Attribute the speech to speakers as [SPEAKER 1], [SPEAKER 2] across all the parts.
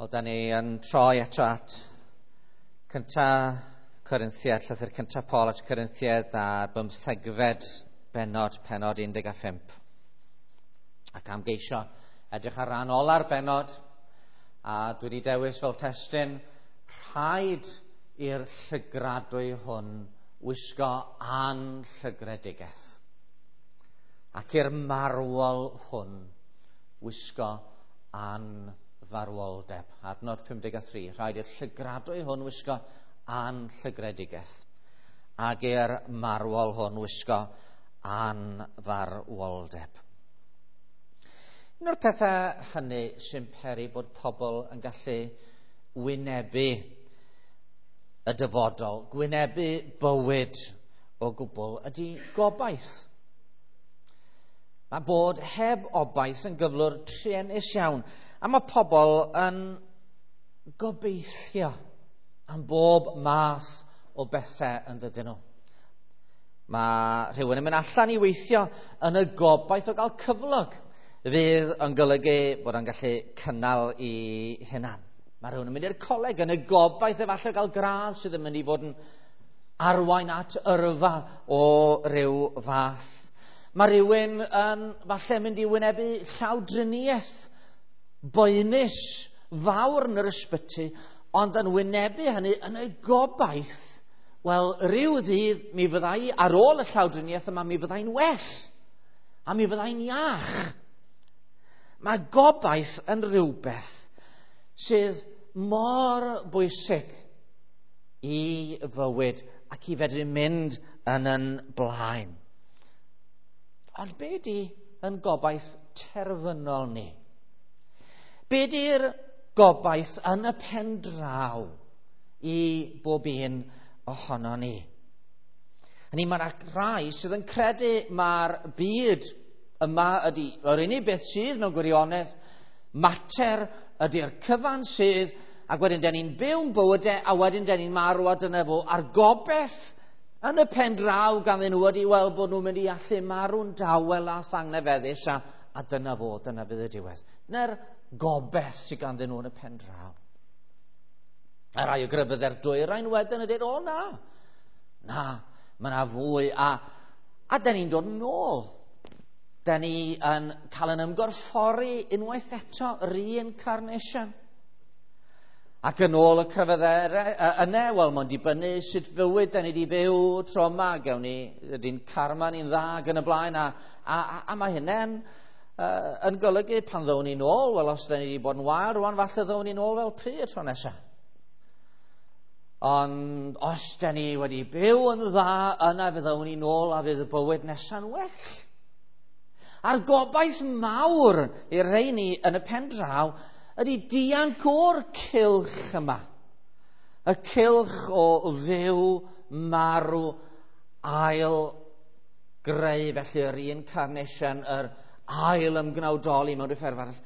[SPEAKER 1] Wel, da ni yn troi eto at cynta Corinthiad, llythyr cynta Paul at Corinthiad a'r bymthegfed bennod, pennod 15. Ac am geisio edrych ar ran ola'r bennod, a dwi wedi dewis fel testun, rhaid i'r llygradwy hwn wisgo anllygredigaeth, ac i'r marwol hwn wisgo anfarwoldeb. Adnod 53, rhaid i'r llygradwy hwn wisgo anllygredigaeth, ac i'r marwol hwn wisgo anfarwoldeb. Un o'r pethau hynny sy'n peri bod pobl yn gallu wynebu y dyfodol, gwynebu bywyd o gwbl, ydy gobaith. Mae bod heb obaith yn gyflwr truenus iawn, a mae pobl yn gobeithio am bob math o bethau yn dydyn nhw. Mae rhywun yn mynd allan i weithio yn y gobaith o gael cyflog fydd yn golygu bod o'n gallu cynnal i hunan. Mae rhywun yn mynd i'r coleg yn y gobaith efallai o gael gradd sydd yn mynd i fod yn arwain at yrfa o ryw fath. Mae rhywun yn falle mynd i wynebu llawdriniaeth boenus fawr yn yr ysbyty, ond yn wynebu hynny yn y gobaith, wel, rhyw ddydd mi fyddai, ar ôl y llawdriniaeth yma, mi fyddai'n well, a mi fyddai'n iach. Mae gobaith yn rhywbeth sydd mor bwysig i fywyd ac i fedru mynd yn yn blaen. Ond be di yn gobaith terfynol ni? Be di'r gobaith yn y pen draw i bob un ohono ni? Hynny, mae yna rai sydd yn credu mae'r byd yma ydy yr unig beth sydd mewn gwirionedd, mater ydy'r cyfan sydd, ac wedyn den ni'n byw'n bywydau, a wedyn den ni'n marw a dyna fo, a'r gobaith yn y pen draw ganddyn nhw ydy weld bod nhw'n mynd i allu marw'n dawel a thangnefeddus, a dyna fo, dyna fydd y diwedd. Dyna'r gobaith sydd ganddyn nhw yn y pen draw. A rai o grefyddau'r dwyrain wedyn yn dweud, o na, na, mae yna fwy, a den ni'n dod nôl. Den ni yn cael yn ymgorffori unwaith eto, reincarnation. Ac yn ôl y crefyddau yna, wel, mae'n dibynnu sut fywyd da ni wedi byw tro yma, gewn ni, ydy'n karma ni'n dda ac yn y blaen, a mae hynny'n yn golygu pan ddown ni'n ôl, wel, os da ni wedi bod yn wael rwan, falle ddown ni'n ôl fel pry y tro nesaf. Ond os da ni wedi byw yn dda, yna fe ddown ni'n ôl a fydd y bywyd nesa'n well. A'r gobaith mawr i'r rheini yn y pen draw ydy dianc o'r cylch yma. Y cylch o fyw, marw, ail greu, felly yr reincarnation, yr ail ymgnawdoli mewn rhyw ffordd arall.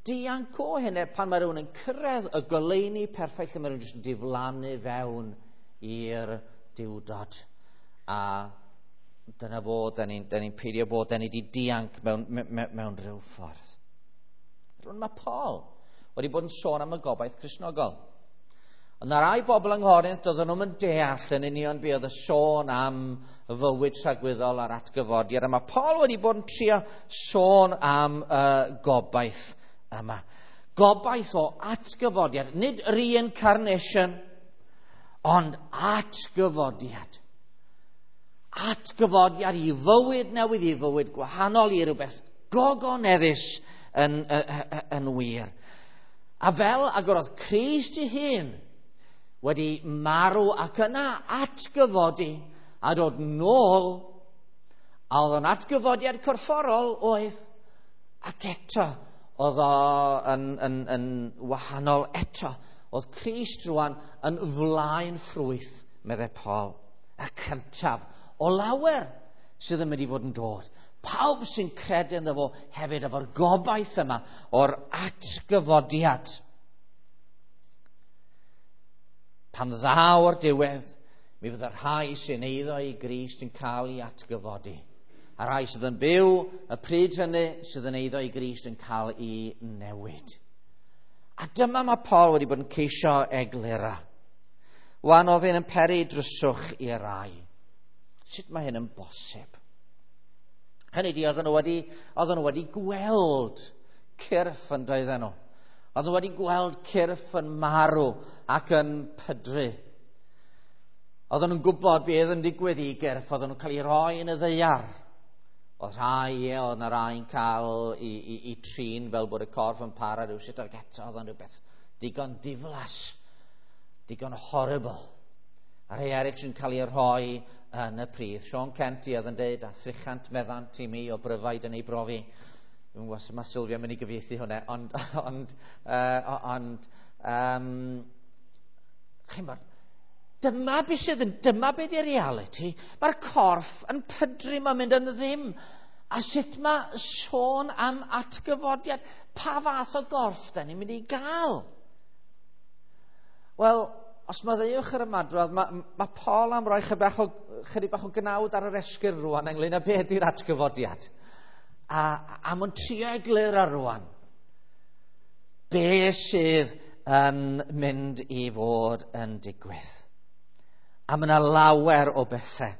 [SPEAKER 1] Dianc o hynny pan mae rhywun yn cyrraedd y goleuni perffaith lle mae rhywun jyst yn diflannu fewn i'r diwdod. A dyna fo, da ni'n peidio bod, da ni wedi dianc mewn rhyw ffordd. Rwy'n mae Paul wedi bod yn sôn am y gobaith Cristnogol. Ond na rai bobl yng Nghorinth, doedden nhw'n deall yn union be oedd y sôn am y fywyd tragwyddol a'r atgyfodiad. A mae Paul wedi bod yn trio sôn am y gobaith yma. Gobaith o atgyfodiad, nid reincarnation, ond atgyfodiad. Atgyfodiad i fywyd newydd, i fywyd gwahanol, i rhywbeth gogoneddus yn wir. A fel agorodd Crist ei hun wedi marw ac yna atgyfodi a dod nôl, a oedd o'n atgyfodiad corfforol oedd, ac eto oedd o yn wahanol eto. Oedd Crist rwan yn flaen ffrwyth, meddai Paul, y cyntaf o lawer sydd yn mynd i fod yn dod. Pawb sy'n credu ynddo fo hefyd efo'r gobaith yma o'r atgyfodiad. Pan ddaw'r diwedd, mi fydd y rhai sy'n eiddo i Grist yn cael ei atgyfodi. A rhai sydd yn byw y pryd hynny sydd yn eiddo i Grist yn cael ei newid. A dyma mae Paul wedi bod yn ceisio eglura. Wan oedd hyn yn peri dryswch i rai. Sut mae hyn yn bosib? Hynny di, oedden nhw wedi gweld cyrff yn doedden nhw. Oedden nhw wedi gweld cyrff yn marw ac yn pydru. Oedden nhw'n gwybod beth yn digwydd i gyrff, oedden nhw'n cael ei roi yn y ddaear. Oedd rhai, oedd yna rhai'n cael i trin fel bod y corff yn para rhywsut, ac eto oedd o'n rhywbeth digon diflas, digon horrible. A rhai eraill yn cael ei rhoi yn y pridd. Sean Kent i oedd yn dweud, a 300 meddant i mi o bryfaid yn ei brofi. Dwi'n gwybod sut mae Sylvia yn mynd i gyfieithu hwnna, ond chi'n bod, dyma beth sydd yn, dyma beth yw'r reality. Mae'r corff yn pydru, mae'n mynd yn ddim. A sut mae sôn am atgyfodiad? Pa fath o gorff da ni'n mynd i gael? Wel, os maddeuwch yr ymadrodd, mae Paul am roi chydig bach o gnawd ar yr esgyrn rwan ynglyn â beth ydy'r atgyfodiad. A mae'n trio egluro rwan. Be sydd yn mynd i fod yn digwydd. A mae yna lawer o bethau.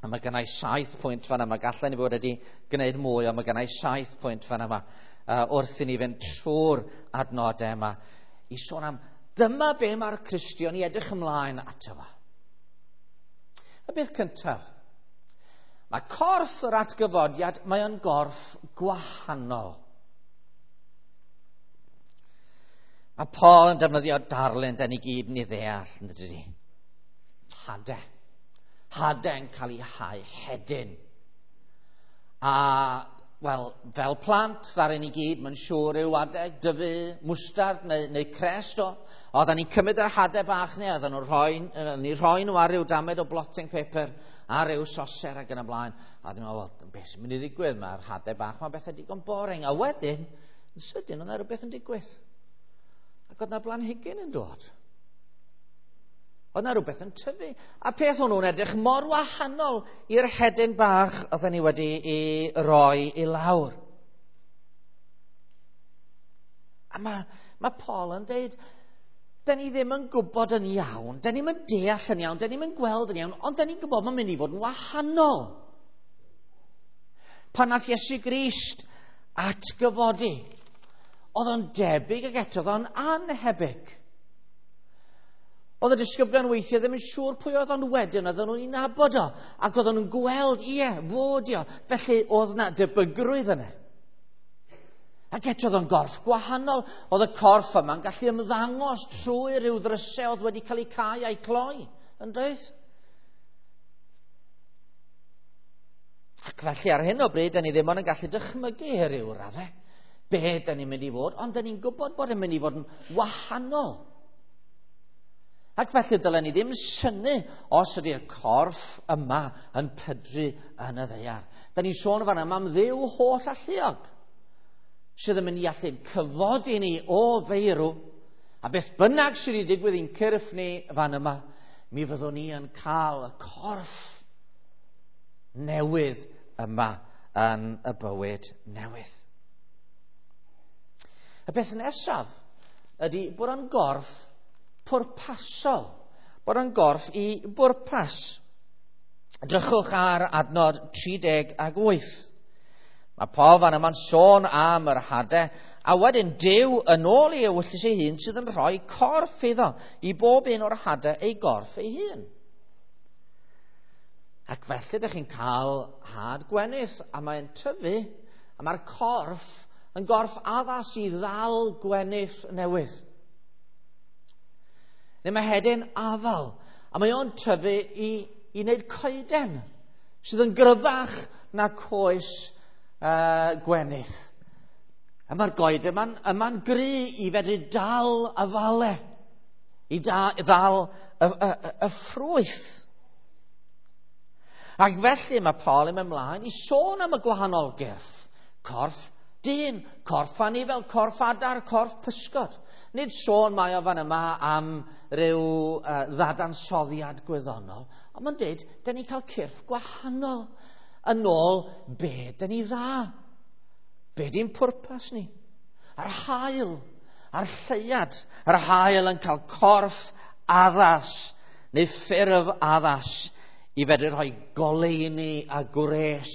[SPEAKER 1] A mae gennau 7 pwynt fan yma. Gallen ni fod wedi gwneud mwy, ond mae gennau 7 pwynt fan yma wrth i ni fynd trwy'r adnodau yma i sôn am dyma be mae'r Cristion i edrych ymlaen ato fo. Y beth cyntaf, mae corff yr atgyfodiad, mae o'n gorff gwahanol. Mae Paul yn defnyddio darlun, da ni gyd yn ei ddeall, yn dydy. Hade. Hade'n cael ei hau hedyn. A, wel, fel plant, ddaru ni gyd, mae'n siŵr yw adeg, dyfu mwstard neu crest o. Oedden ni'n cymryd yr hadau bach ni, oedden nhw'n rhoi nhw ar ryw damed o blotting paper, ar ryw soser ac yn y blaen. A oedden nhw'n meddwl, wel, beth sy'n mynd i ddigwydd? Mae'r hadau bach, mae'n bethau digon boring. A wedyn, yn sydyn, oedd yna rhywbeth yn digwydd. Ac oedd yna blanhigyn yn dod. Oedd yna rhywbeth yn tyfu. A peth hwnnw'n edrych mor wahanol i'r hedyn bach oedden ni wedi ei roi i lawr. A mae Paul yn dweud, da ni ddim yn gwybod yn iawn, da ni'm yn deall yn iawn, da ni'm yn gweld yn iawn, ond da ni'n gwybod mae'n mynd i fod yn wahanol. Pan nath Iesu Grist atgyfodi, oedd o'n debyg ac eto oedd o'n anhebyg. Oedd y disgyblion weithiau ddim yn siŵr pwy oedd o'n wedyn, oedden nhw'n ei nabod o, ac oedden nhw'n gweld, ie, fod o. Felly oedd yna debygrwydd yna. Ac eto oedd o'n gorff gwahanol. Oedd y corff yma'n gallu ymddangos trwy ryw ddrysau oedd wedi cael eu cau a'i cloi, yn doedd? Ac felly ar hyn o bryd, da ni ddim ond yn gallu dychmygu ryw raddau be da ni'n mynd i fod, ond da ni'n gwybod bod yn mynd i fod yn wahanol. Ac felly dylen ni ddim synnu os ydy'r corff yma yn pydru yn y ddaear. Da ni'n sôn fan yma am Dduw holl alluog, sydd yn mynd i allu cyfodi ni o feirw, a beth bynnag sydd wedi digwydd i'n cyrff ni fan yma, mi fyddwn ni yn cael y corff newydd yma yn y bywyd newydd. Y beth nesaf ydy bod o'n gorff pwrpasol, bod o'n gorff i bwrpas. Drychwch ar adnod 38. Mae Paul fan yma'n sôn am yr hadau, a wedyn Duw yn ôl ei ewyllys ei hun sydd yn rhoi corff iddo, i bob un o'r hadau ei gorff ei hun. Ac felly ydych chi'n cael had gwenith, a mae'n tyfu, a mae'r corff yn gorff addas i ddal gwenith newydd. Neu mae hedyn afal, a mae o'n tyfu i wneud coeden sydd yn gryfach na coes gwenith. A mae'r goeden yma'n gry i fedru dal afale, i ddal y ffrwyth. Ac felly mae Paul yn mynd ymlaen i sôn am y gwahanol gyrff. Corff dyn, corff anifel, corff adar, corff pysgod. Nid sôn mae o fan yma am ryw ddadansoddiad gwyddonol, ond mae'n dweud, dyn ni'n cael cyrff gwahanol yn ôl be dyn ni dda. Be di'n pwrpas ni? A'r haul. A'r lleuad, yr haul yn cael corff addas, neu ffurf addas, i fedru rhoi goleuni a gwres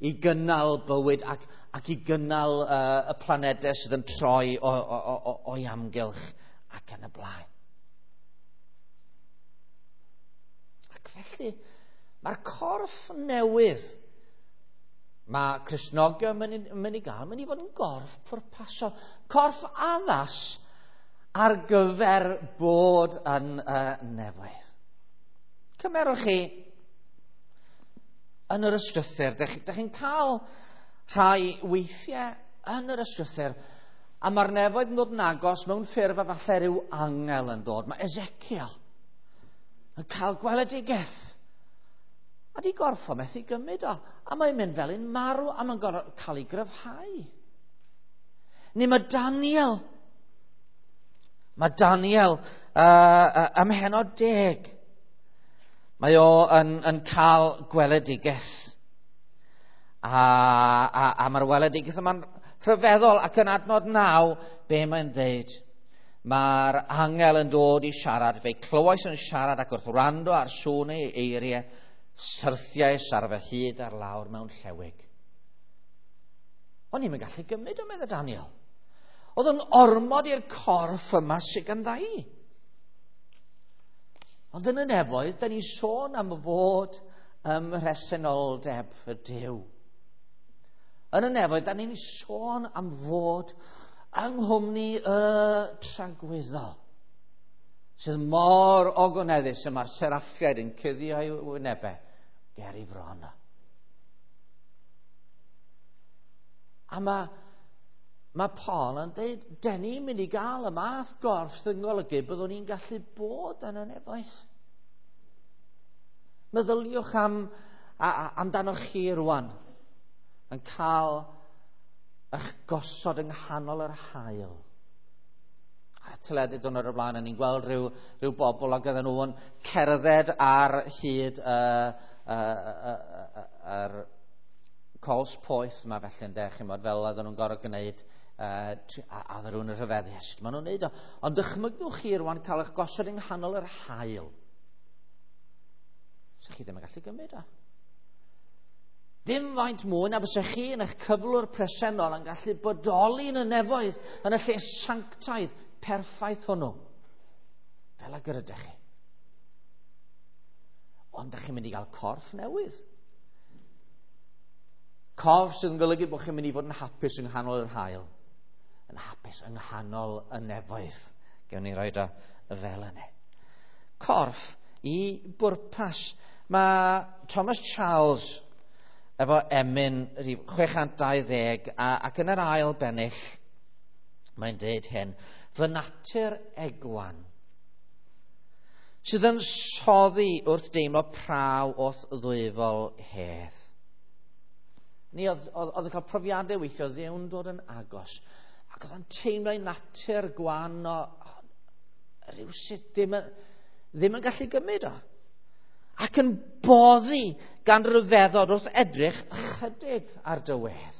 [SPEAKER 1] i gynnal bywyd ac i gynnal y planedau sydd yn troi o'i amgylch ac yn y blaen. Ac felly, mae'r corff newydd mae Cristnogion yn mynd i gael, mynd i fod yn gorff pwrpasol. Corff addas ar gyfer bod yn nefoedd. Cymerwch chi yn yr ysgrythur, dych chi'n cael rhai weithiau yn yr ysgrythur, a mae'r nefoedd yn dod yn agos mewn ffurf a falle rhyw angel yn dod. Mae Ezekiel yn cael gweledigaeth. A di gorffo methu gymryd o. A mae'n mynd fel un marw a mae'n gorfod cael ei gryfhau. Neu mae Daniel. Mae Daniel ym mhennod 10. Mae o yn cael gweledigaeth. A mae'r weledigaeth yma'n rhyfeddol ac yn adnod 9, be mae'n deud? Mae'r angel yn dod i siarad. Fe clywais yn siarad ac wrth wrando ar sŵn ei eiriau, syrthiais ar fy hyd ar lawr mewn llewig. O'n i'm yn gallu gymryd o, meddai Daniel. Oedd yn ormod i'r corff yma sydd gandda i. Ond yn y nefoedd, da ni'n sôn am fod ym mhresenoldeb y Duw. Yn y nefoedd, da ni'n sôn am fod yng nghwmni y tragwyddol, sydd mor ogoneddus y mae'r seraffiaid yn cuddio ei wynebau ger ei fron. A mae Paul yn dweud, den ni'n mynd i gael y math gorff sydd yn golygu byddwn ni'n gallu bod yn y nefoedd. Meddyliwch amdanoch chi rwan yn cael eich gosod yng nghanol yr haul. Ar y teledu diwrnod o'r blaen, ni'n gweld rhyw bobl ac oedden nhw yn cerdded ar hyd yr cols poeth yma felly, ynde, chi'mod, fel oedden nhw'n gorfod gwneud, a oedden nhw'n rhyfeddu, sut maen nhw'n neud o. Ond dychmygwch chi rwan cael eich gosod yng nghanol yr haul. Sa chi ddim yn gallu gymryd o. Dim faint mwy na fysa chi yn eich cyflwr presennol yn gallu bodoli yn y nefoedd, yn y lle sanctaidd perffaith hwnnw, fel ag yr ydych chi. Ond ydych chi'n mynd i gael corff newydd. Corff sydd yn golygu bod chi'n mynd i fod yn hapus yng nghanol yr haul, yn hapus yng nghanol y nefoedd. Gewn ni roed o fel yna. Corff i bwrpas. Mae Thomas Charles efo emyn 620 ac yn yr ail bennill mae'n deud hyn: fy natur egwan sydd yn soddi wrth deimlo praw wrth ddwyfol hedd. Ni oedd yn cael profiadau weithio Dduw'n dod yn agos, ac oedd yn teimlo ei natur gwan o rywsut ddim yn gallu gymryd o, ac yn boddi gan ryfeddod wrth edrych ychydig ar dy wedd.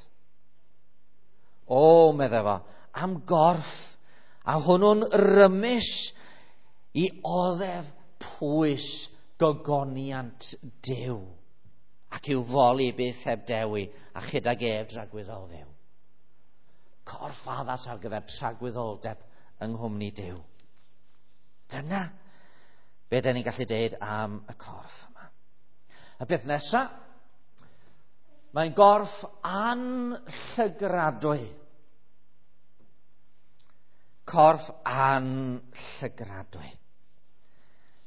[SPEAKER 1] O, meddai fo, am gorff, a hwnnw'n rymus i oddef pwys gogoniant Duw, ac i'w foli byth heb dewi, a chydag ef dragwyddol fyw. Corff addas ar gyfer tragwyddoldeb yng nghwmni Duw. Dyna be da ni'n gallu deud am y corff yma. Y beth nesa, mae'n gorff anllygradwy. Corff anllygradwy.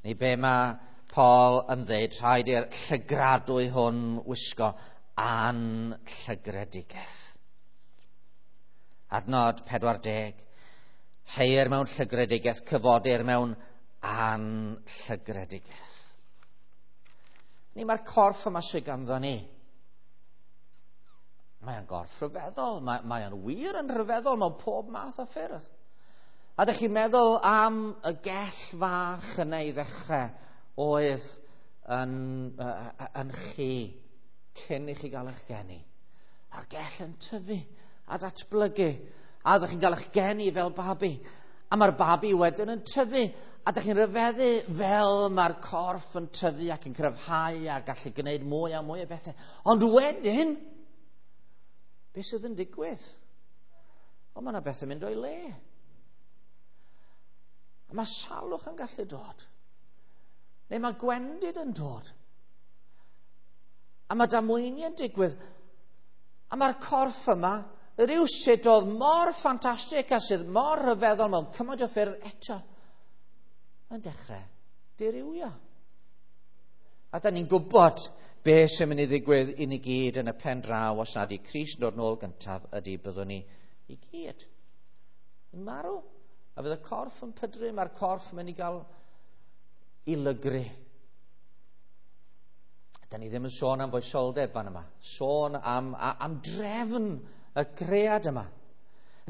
[SPEAKER 1] Neu be mae Paul yn dweud, rhaid i'r llygradwy hwn wisgo anllygredigaeth. Adnod 40. Heir mewn llygredigaeth, cyfodir mewn anllygredigaeth. Ni mae'r corff yma sydd ganddo ni. Mae'n gorff rhyfeddol, mae o'n wir yn rhyfeddol mewn pob math o ffyrdd. A ydych chi'n meddwl am y gell fach yna i ddechrau oedd yn chi cyn i chi gael eich geni. A'r gell yn tyfu a datblygu. A ydych chi'n cael eich geni fel babi. A mae'r babi wedyn yn tyfu. A ydych chi'n rhyfeddu fel mae'r corff yn tyfu ac yn cryfhau a gallu gwneud mwy a mwy o bethau. Ond wedyn, beth sydd yn digwydd? O, mae yna bethau mynd o'i le. A mae salwch yn gallu dod. Neu mae gwendid yn dod. A mae damweiniau yn digwydd. A mae'r corff yma, rhywsut oedd mor ffantastig a sydd mor rhyfeddol mewn cymaint o ffyrdd eto, yn dechrau dirywio. A da ni'n gwybod be sy'n mynd i ddigwydd i ni gyd yn y pen draw os nad i Crist yn dod nôl gyntaf ydy byddwn ni i gyd yn marw. A fydd y corff yn pydru, mae'r corff yn mynd i gael i lygru. Da ni ddim yn sôn am foesoldeb fan yma. Sôn am drefn y cread yma.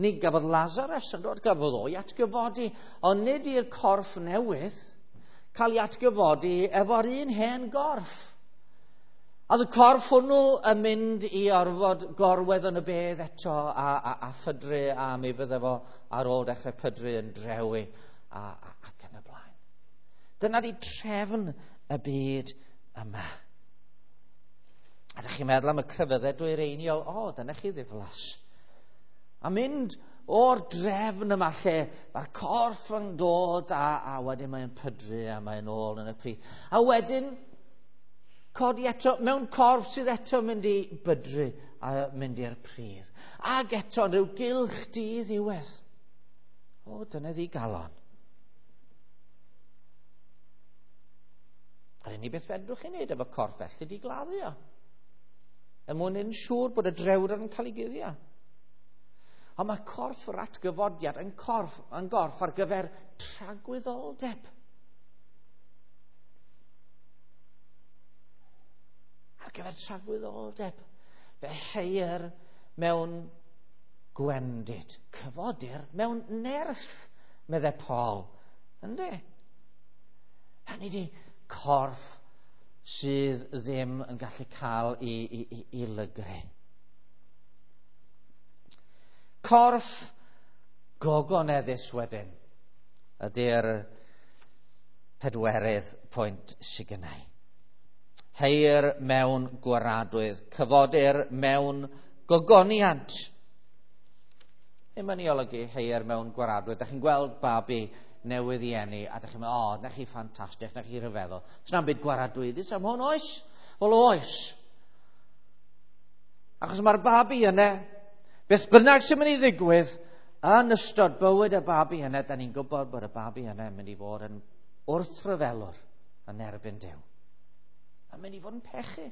[SPEAKER 1] Ni gafodd Lazarus yn dod, gafodd o'i atgyfodi, ond nid i'r corff newydd cael ei atgyfodi efo'r un hen gorff. A oedd y corff hwnnw yn mynd i orfod gorwedd yn y bedd eto a phydru, a mi fydde fo ar ôl dechrau pydru yn drewi ac yn y blaen. Dyna di trefn y byd yma. A ydych chi'n meddwl am y crefyddau dwyreiniol, o, dyna chi ddiflas. A mynd o'r drefn yma lle mae'r corff yn dod a wedyn mae'n pydru a mae'n ôl yn y pridd. A wedyn codi eto mewn corff sydd eto mynd i bydru a mynd i'r pridd. Ac eto yn rhyw gylch diddiwedd. O, dyna ddigalon. A'r unig beth fedrwch chi wneud efo corff felly di gladdu o. Er mwyn yn siŵr bod y drewdod yn cael ei guddio. Ond mae corff yr atgyfodiad yn gorff ar gyfer tragwyddoldeb. Ar gyfer tragwyddoldeb. Fe heir mewn gwendid. Cyfodir mewn nerth, meddai Paul. Yndi? Hynny di corff sydd ddim yn gallu cael i lygru. Corff gogoneddus wedyn ydy'r pedwerydd pwynt sydd gennau. Heir mewn gwaradwydd, cyfodir mewn gogoniant. Ddim yn ei olygu heir mewn gwaradwydd. Da chi'n gweld babi newydd i eni, a da chi'n meddwl, o, na chi ffantastig, na chi rhyfeddol. Sna'n byd gwaradwyddus am hwn, oes? Wel, oes. Achos mae'r babi yna, beth bynnag sy'n mynd i ddigwydd, yn ystod bywyd y babi yna, da ni'n gwybod bod y babi yna yn mynd i fod yn wrthryfelwr yn erbyn Duw. Mae'n mynd i fod yn pechu.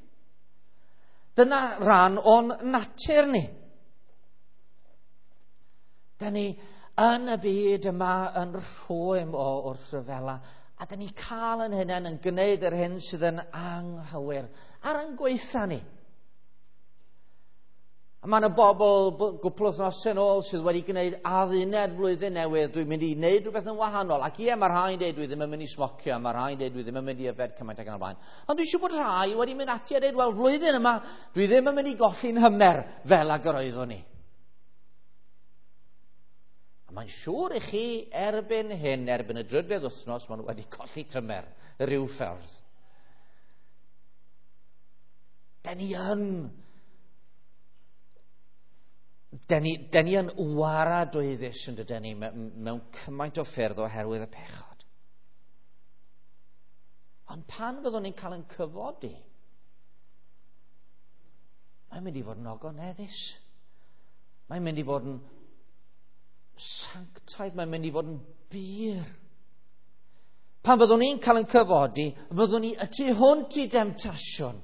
[SPEAKER 1] Dyna rhan o'n natur ni. Da ni yn y byd yma yn rhwym o wrthryfela, a da ni cael yn hunain yn gwneud yr hyn sydd yn anghywir ar ein gweitha ni. A mae yna bobl gwpl wythnosau yn ôl sydd wedi gwneud adduned flwyddyn newydd, dwi'n mynd i wneud rhywbeth yn wahanol. Ac ie, mae rhai'n dweud dwi ddim yn mynd i smocio, mae rhai'n dweud dwi ddim yn mynd i yfed cymaint ac yn y blaen. Ond dwi'n siŵr bod rhai wedi mynd ati a dweud, wel, flwyddyn yma, dwi ddim yn mynd i golli'n hymer fel ag yr oeddwn ni. A mae'n siŵr i chi erbyn hyn, erbyn y drydedd wythnos, maen nhw wedi colli tymer rhyw ffordd. Da ni yn waradwyddus yn dydyn ni mewn cymaint o ffyrdd oherwydd y pechod. Ond pan fyddwn ni'n cael ein cyfodi, mae'n mynd i fod yn ogoneddus. Mae'n mynd i fod yn sanctaidd, mae'n mynd i fod yn bur. Pan fyddwn ni'n cael ein cyfodi, fyddwn ni y tu hwnt i demtasiwn.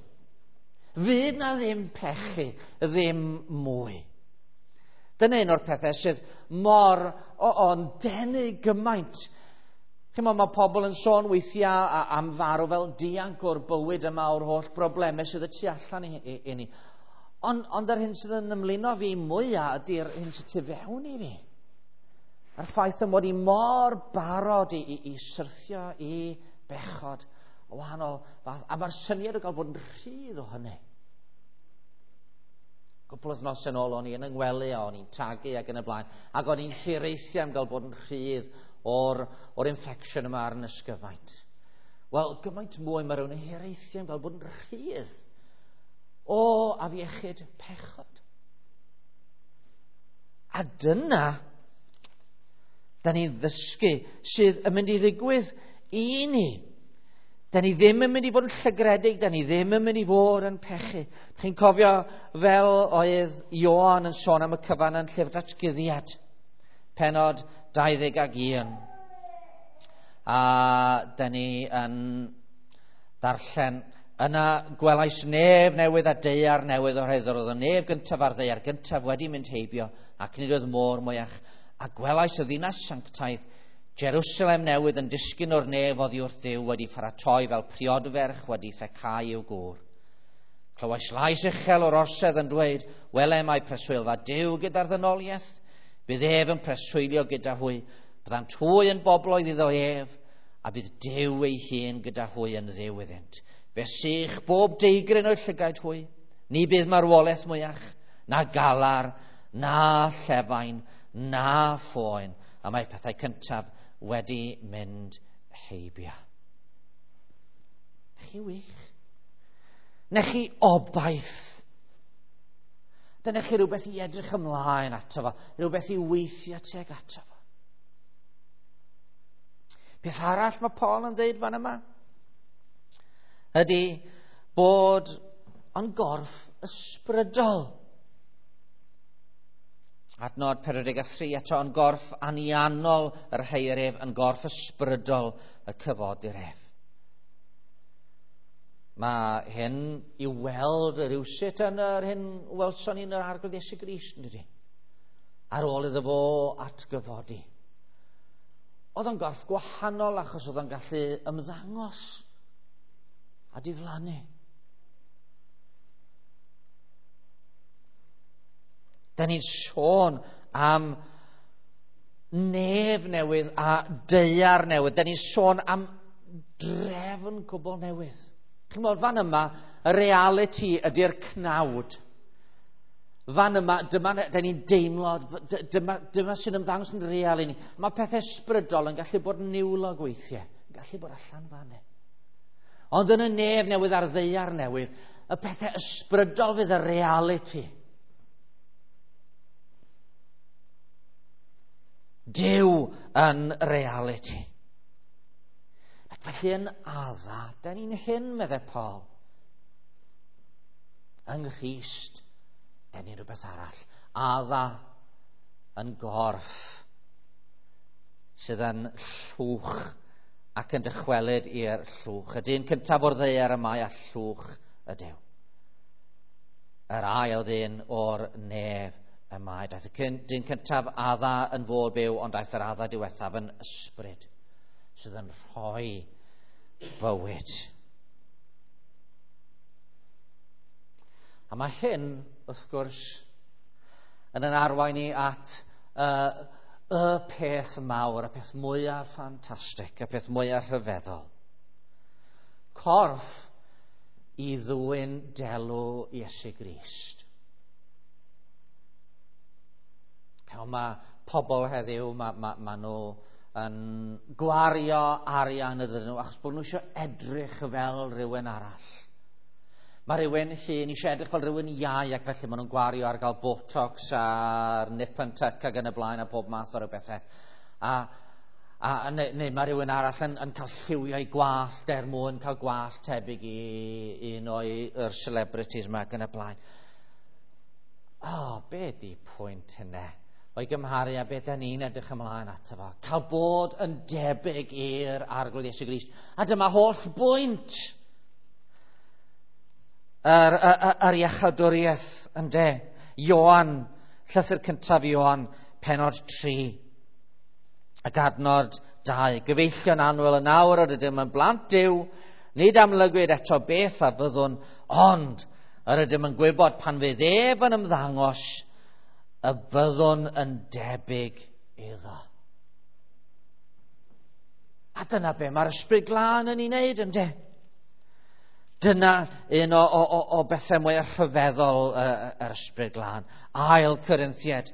[SPEAKER 1] Fydd na ddim pechu, ddim mwy. Dyna un o'r pethau sydd mor o'n denu gymaint. Chimod, mae pobl yn sôn weithiau am farw fel dianc o'r bywyd yma, o'r holl broblemau sydd y tu allan i ni. Ond yr hyn sydd yn ymlino fi mwyaf ydy'r hyn sydd tu fewn i fi. A'r ffaith y mod i mor barod i syrthio i bechod o wahanol fath. A mae'r syniad o gael bod yn rhydd o hynny. Cwpl o wythnosau yn ôl o'n i yn 'y ngwely a o'n i'n tagu ac yn y blaen, ac o'n i'n hiraethu am gael bod yn rhydd o'r infection yma ar yn ysgyfaint. Wel, gymaint mwy mae rhywun yn hiraethu am gael bod yn rhydd o afiechyd pechod. A dyna da ni'n ddysgu sydd yn mynd i ddigwydd i ni. Da ni ddim yn mynd i fod yn llygredig, da ni ddim yn mynd i fod yn pechu. Chi'n cofio fel oedd Ioan yn sôn am y cyfan yn Llyfr Datguddiad, pennod 21. A da ni yn darllen, yna gwelais nef newydd a daear newydd oherwydd oedd y nef gyntaf a'r ddaear gyntaf wedi mynd heibio ac nid oedd môr mwyach. A gwelais y ddinas sanctaidd, Jerusalem newydd yn disgyn o'r nef oddi wrth Dduw wedi pharatoi fel priodferch wedi thecau i'w gŵr. Clywais lais uchel o'r orsedd yn dweud, wele mae preswylfa Duw gyda'r ddynoliaeth, bydd ef yn preswylio gyda hwy, byddant hwy yn bobloedd iddo ef, a bydd Duw ei hun gyda hwy yn Dduw iddynt. Fe sych bob deigryn o'r llygaid hwy, ni bydd marwolaeth mwyach, na galar, na llefain, na phoen, a mae pethau cyntaf wedi mynd heibio. Chi wych. Nech chi obaith. Dyna chi rhywbeth i edrych ymlaen ato fo, rhywbeth i weithio tuag ato fo. Peth arall mae Paul yn dweud fan yma ydy bod yn gorff ysbrydol. Adnod 43 eto, yn gorff anianol yr heir ef, yn gorff ysbrydol y cyfodir ef. Mae hyn i weld rhywsut yn yr hyn welson ni'n yr Arglwydd Iesu Grist, yn dydi? Ar ôl iddo fo atgyfodi. Oedd o'n gorff gwahanol achos oedd o'n gallu ymddangos a diflannu. Da ni'n sôn am nef newydd a daear newydd. Da ni'n sôn am drefn cwbl newydd. Chi'n gwybod, fan yma, y reality ydy'r cnawd. Fan yma, dyma, da ni'n deimlo, dyma sy'n ymddangos yn real i ni. Mae pethau ysbrydol yn gallu bod yn niwlog weithiau, yn gallu bod allan fan hyn. Ond yn y nef newydd a'r ddaear newydd, y pethau ysbrydol fydd y reality. Duw yn reality. Ac felly yn Adda, da ni'n hyn, meddai Paul. Yng Nghrist, da ni'n rhywbeth arall. Adda yn gorff sydd yn llwch ac yn dychwelyd i'r llwch. Y dyn cyntaf o'r ddaear y mae a llwch ydyw. Yr ail ddyn o'r nef y mae. Daeth y dyn cyntaf Adda yn fod byw, ond daeth yr Adda diwethaf yn ysbryd sydd yn rhoi bywyd. A mae hyn, wrth gwrs, yn arwain ni at y peth mawr, y peth mwyaf ffantastig, y peth mwyaf rhyfeddol. Corff i ddwyn delw Iesu Grist. Mae pobl heddiw, ma nhw yn gwario arian ydyn nhw achos bod nhw eisiau edrych fel rhywun arall. Mae rhywun hŷn eisiau edrych fel rhywun iau ac felly maen nhw'n gwario ar gael Botox a'r nip and tuck ac yn y blaen a pob math o bethau. Neu mae rhywun arall yn cael lliwiau gwallt er mwyn cael gwallt tebyg i un o'r celebrities yma ac yn y blaen. O, be di pwynt hynny? O'i gymharu â beth da ni'n edrych ymlaen ato fo. Cael bod yn debyg i'r Arglwydd Iesu Grist. A dyma holl bwynt yr iachawdwriaeth, ynde. Ioan, llythyr cyntaf Ioan, pennod 3, ac adnod 2. Gyfeillion annwyl, yn awr yr ydym yn blant Duw, nid amlygwyd eto beth a fyddwn, ond yr ydym yn gwybod pan fydd ef yn ymddangos, y byddwn yn debyg iddo. A dyna be mae'r Ysbryd Glân yn ei wneud, ynde? Dyna un o bethau mwy rhyfeddol yr Ysbryd Glân. Ail Corinthiaid,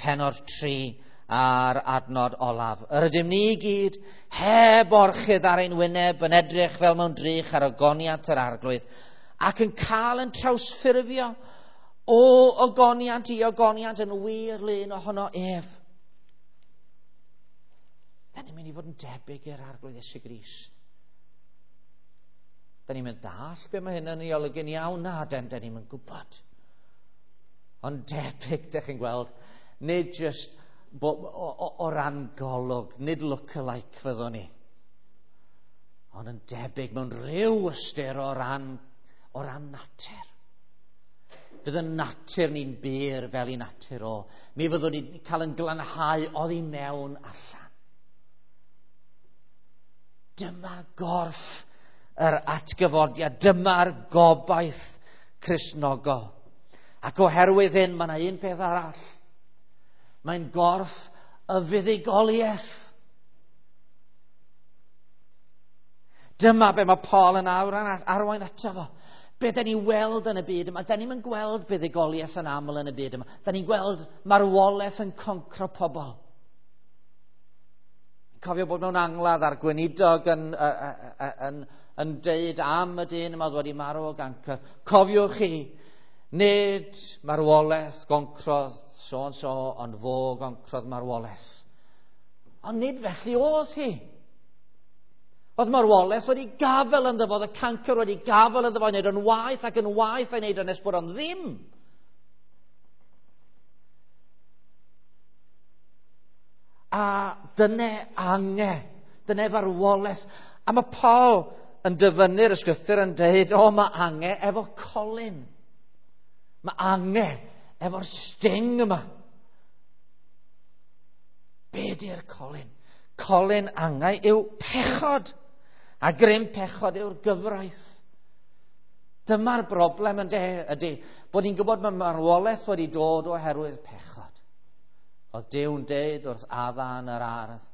[SPEAKER 1] pennod 3 a'r adnod olaf. Yr ydym ni i gyd heb orchudd ar ein wyneb yn edrych fel mewn drych ar ogoniant yr Arglwydd ac yn cael yn trawsffurfio o ogoniant i ogoniant yn wir lun ohono ef. Da ni'n mynd i fod yn debyg i'r Arglwydd Iesu Grist. Da ni'n mynd dall be mae hyn yn ei olygu'n iawn, na, den, da ni'n mynd gwybod. Ond debyg, dych chi'n gweld, nid just o ran golwg, nid look-alike fyddwn ni, ond yn debyg mewn rhyw ystyr o ran natur. Bydd y natur ni'n bur fel i natur o. Mi fyddwn ni'n cael yn glanhau oddi mewn allan. Dyma gorff yr atgyfodiad, dyma'r gobaith Cristnogol. Ac oherwydd hyn, mae yna un peth arall. Mae'n gorff y fuddugoliaeth. Dyma be mae Paul yn arwain ato fo. Be da ni'n weld yn y byd yma, da ni'n gweld buddugoliaeth yn aml yn y byd yma. Da ni'n gweld marwolaeth yn concro pobl. Cofio bod mewn angladd a'r gweinidog yn deud am y dyn yma oedd wedi marw o gancr. Cofiwch chi, nid marwolaeth goncrodd so and so, ond fo goncrodd marwolaeth. Ond nid felly oedd hi. Oedd marwolaeth wedi gafel ynddo fo, oedd y cancr wedi gafel ynddo fo, i wneud o'n waeth ac yn waeth a'i wneud o'n nes bod o'n ddim. A dyna ange, dyna farwolaeth. A mae Paul yn dyfynnu'r ysgrythur yn dweud, o, mae ange efo colyn. Mae ange efo'r sting yma. Be di'r colyn? Colyn angau yw pechod. A grym pechod yw'r gyfraith. Dyma'r broblem yn ydy, bod ni'n gwybod mae marwolaeth wedi dod oherwydd pechod. Oedd Duw'n deud wrth Adda yn yr ardd,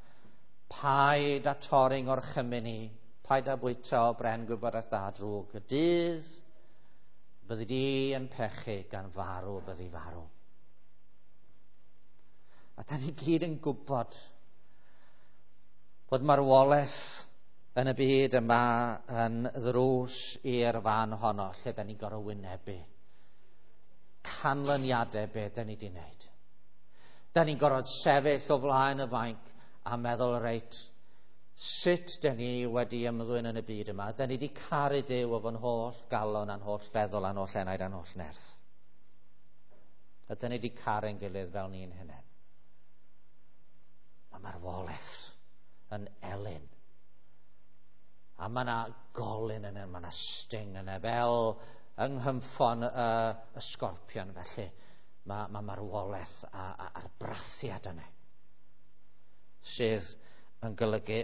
[SPEAKER 1] paid â torri ngorchymyn i, paid â bwyta o bren gwybodaeth dda drwg. Y dydd byddi di yn pechu gan farw, byddi farw. A da ni gyd yn gwybod bod marwolaeth yn y byd yma yn ddrws i'r fan honno lle da ni'n gorfod wynebu canlyniadau be da ni wedi wneud. Da ni'n gorfod sefyll o flaen y fainc a meddwl, reit, sut da ni wedi ymddwyn yn y byd yma? Da ni wedi caru Duw efo'n holl galon a'n holl feddwl a'n holl enaid a'n holl nerth. A da ni wedi caru'n gilydd fel ni'n hunain. Mae marwolaeth yn elyn. A mae yna golyn yna, mae yna sting yna, fel yng nghymffon y sgorpion felly. Mae marwolaeth a'r brathiad yna sydd yn golygu,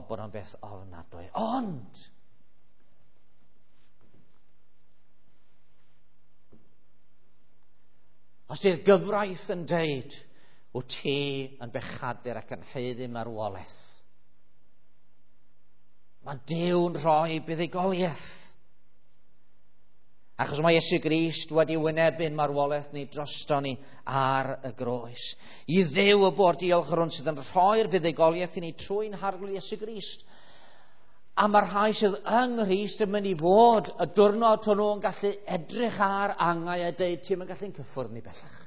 [SPEAKER 1] bod o'n beth ofnadwy. Ond, os di'r gyfraith yn deud, wyt ti yn bechadur ac yn haeddu marwolaeth, mae Duw'n rhoi buddugoliaeth. Achos mae Iesu Grist wedi wynebu'n marwolaeth ni drosto ni ar y groes. I Dduw y bo'r diolch yr hwn sydd yn rhoi'r buddugoliaeth i ni trwy'n Harglwydd Iesu Grist. A mae'r rhai sydd yng Nghrist yn mynd i fod y diwrnod hwnnw yn gallu edrych ar angau a deud, ti'm yn gallu'n cyffwrdd ni bellach.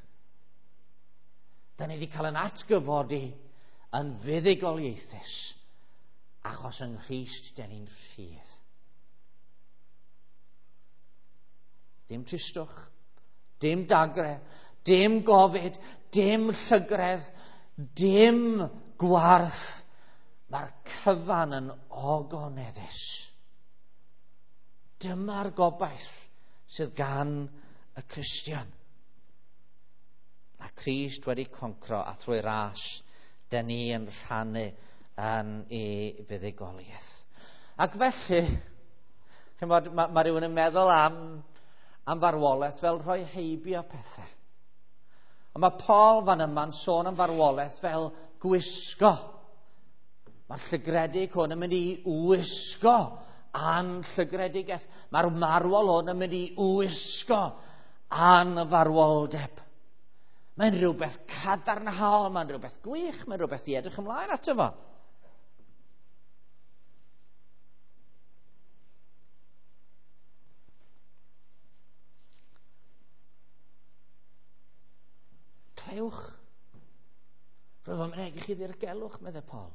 [SPEAKER 1] Da ni wedi cael yn atgyfodi yn fuddugoliaethus, achos yng Nghrist da ni'n rhydd. Dim tristwch, dim dagre, dim gofid, dim llygredd, dim gwarth. Mae'r cyfan yn ogoneddus. Dyma'r gobaith sydd gan y Cristion. Mae Crist wedi concro a thrwy ras, dyn ni yn rhannu yn ei fuddugoliaeth. Ac felly, chimod, mae rhywun yn meddwl am farwolaeth fel rhoi heibio pethau. Ond mae Paul fan yma'n sôn am farwolaeth fel gwisgo. Mae'r llygredig hwn yn mynd i wisgo anllygredigaeth. Mae'r marwol hwn yn mynd i wisgo anfarwoldeb. Mae'n rhywbeth cadarnhaol, mae'n rhywbeth gwych, mae'n rhywbeth i edrych ymlaen ato fo. Clywch. Rwyf am mynegi chi ddirgelwch, meddai Paul.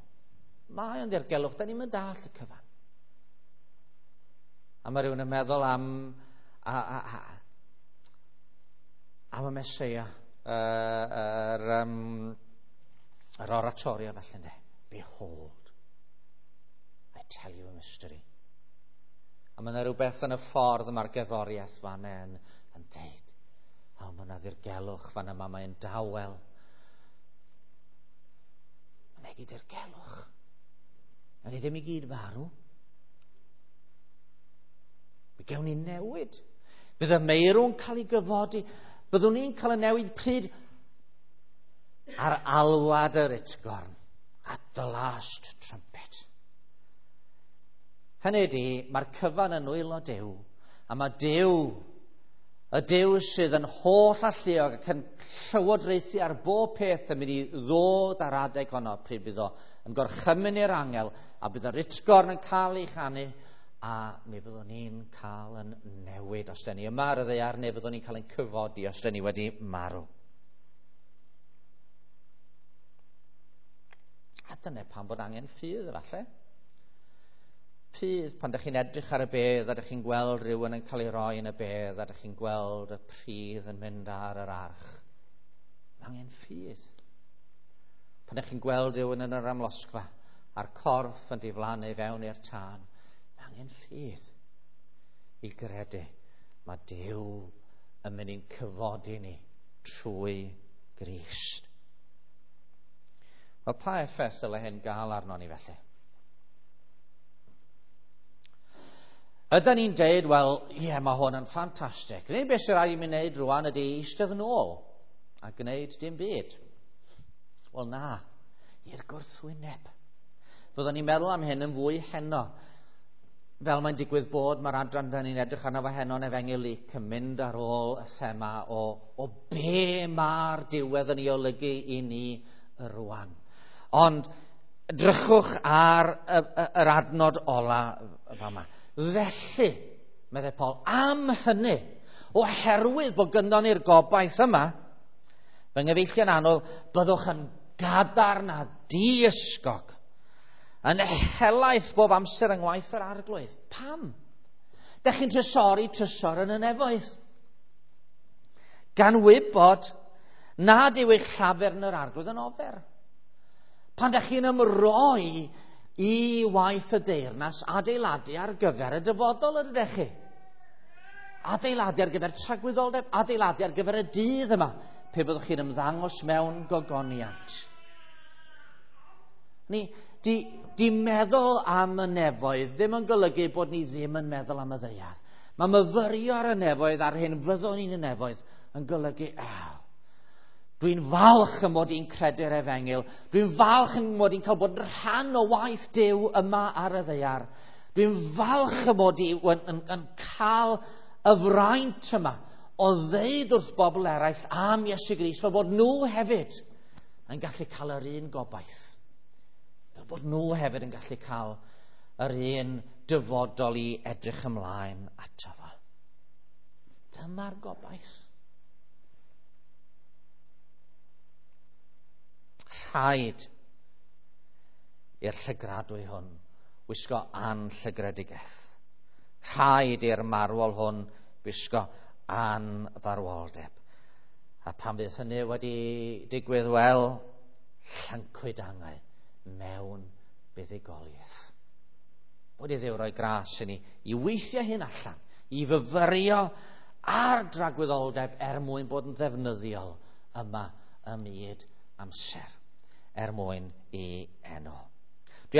[SPEAKER 1] Mae o'n ddirgelwch, da ni'n mynd dall y cyfan. A mae rhywun yn meddwl am, a, a, a, am y Meseia, yr, um, yr oratorio felly, ynddo. Behold, I tell you a mystery. A mae yna rhywbeth yn y ffordd mae'r gerddoriaeth fan yn, yn deud. O, mae yna ddirgelwch fan yma, mae'n dawel. Mae'n egi dirgelwch. Na ni ddim i gyd farw. Mi gewn ni newid. Bydd y meirw'n cael ei gyfodi. Byddwn ni'n cael y newid pryd ar alwad yr utgorn. At the last trumpet. Hynny ydy, mae'r cyfan yn nwylo Duw, a mae Duw, y Duw sydd yn holl alluog ac yn llywodraethu ar bob peth yn mynd i ddod ar adeg honno pryd bydd o yn gorchymyn i'r angel a bydd yr utgorn yn cael ei chanu a mi fyddwn ni'n cael yn newid os dyn ni yma ar y ddaear neu fyddwn ni'n cael ein cyfodi os dyn ni wedi marw. A dyna pam bod angen ffydd efallai. Ffydd pan ydych chi'n edrych ar y bedd a ydych chi'n gweld rhywun yn cael ei roi yn y bedd a ydych chi'n gweld y pridd yn mynd ar yr arch. Mae angen ffydd. Pan ydych chi'n gweld rhywun yn yr amlosgfa a'r corff yn diflannu fewn i'r tân, mae angen ffydd i gredu mae Duw yn mynd i'n cyfodi ni trwy Grist. Wel, pa effaith dyle hyn gael arno ni felly? Ydy ni'n deud, wel, ie, yeah, mae hwn yn ffantastig. Neu beth sy'n rhaid i mi wneud rwan ydy eistedd yn ôl a gwneud dim byd. Wel, na, i'r gwrthwyneb. Fyddwn ni'n meddwl am hyn yn fwy heno. Fel mae'n digwydd bod, mae'r adran da ni'n edrych arno fo heno yn Efengyl Luc yn mynd ar ôl y thema o, o be mae'r diwedd yn ei olygu i ni rwan. Ond drychwch ar y, y, yr adnod ola fama. Felly, meddai Paul, am hynny, oherwydd bod gynnon ni'r gobaith yma, fy nghyfeillion annwyl, byddwch yn gadarn a diysgog, yn helaeth bob amser yng ngwaith yr arglwydd. Pam? Dech chi'n trysori trysor yn y nefoedd. Gan wybod nad yw eich llafur yn yr arglwydd yn ofer. Pan dech chi'n ymroi i waith y deyrnas adeiladu ar gyfer y dyfodol yr ydych chi. Adeiladu ar gyfer tragwyddoldeb, adeiladu ar gyfer y dydd yma, pe byddwch chi'n ymddangos mewn gogoniant. Ni, di, di meddwl am y nefoedd ddim yn golygu bod ni ddim yn meddwl am y ddaear. Mae myfyrio ar y nefoedd a'r hyn fyddwn ni'n y nefoedd yn golygu, aw, dwi'n falch y mod i'n credu'r efengyl. Dwi'n falch yn mod i'n cael bod yn rhan o waith Duw yma ar y ddaear. Dwi'n falch y mod i yn, yn, yn cael y fraint yma o ddeud wrth bobl eraill am Iesu Grist, fel bod nhw hefyd yn gallu cael yr un gobaith. Fel bod nhw hefyd yn gallu cael yr un dyfodol i edrych ymlaen ato fo. Dyma'r gobaith. Rhaid i'r llygradwy hwn wisgo anllygredigaeth. Rhaid i'r marwol hwn wisgo anfarwoldeb. A pan fydd hynny wedi digwydd, wel, llancwyd angau mewn buddugoliaeth. Bod i Dduw roi gras i ni i weithio hyn allan, i fyfyrio ar dragwyddoldeb er mwyn bod yn ddefnyddiol yma ym myd amser, er mwyn i enw.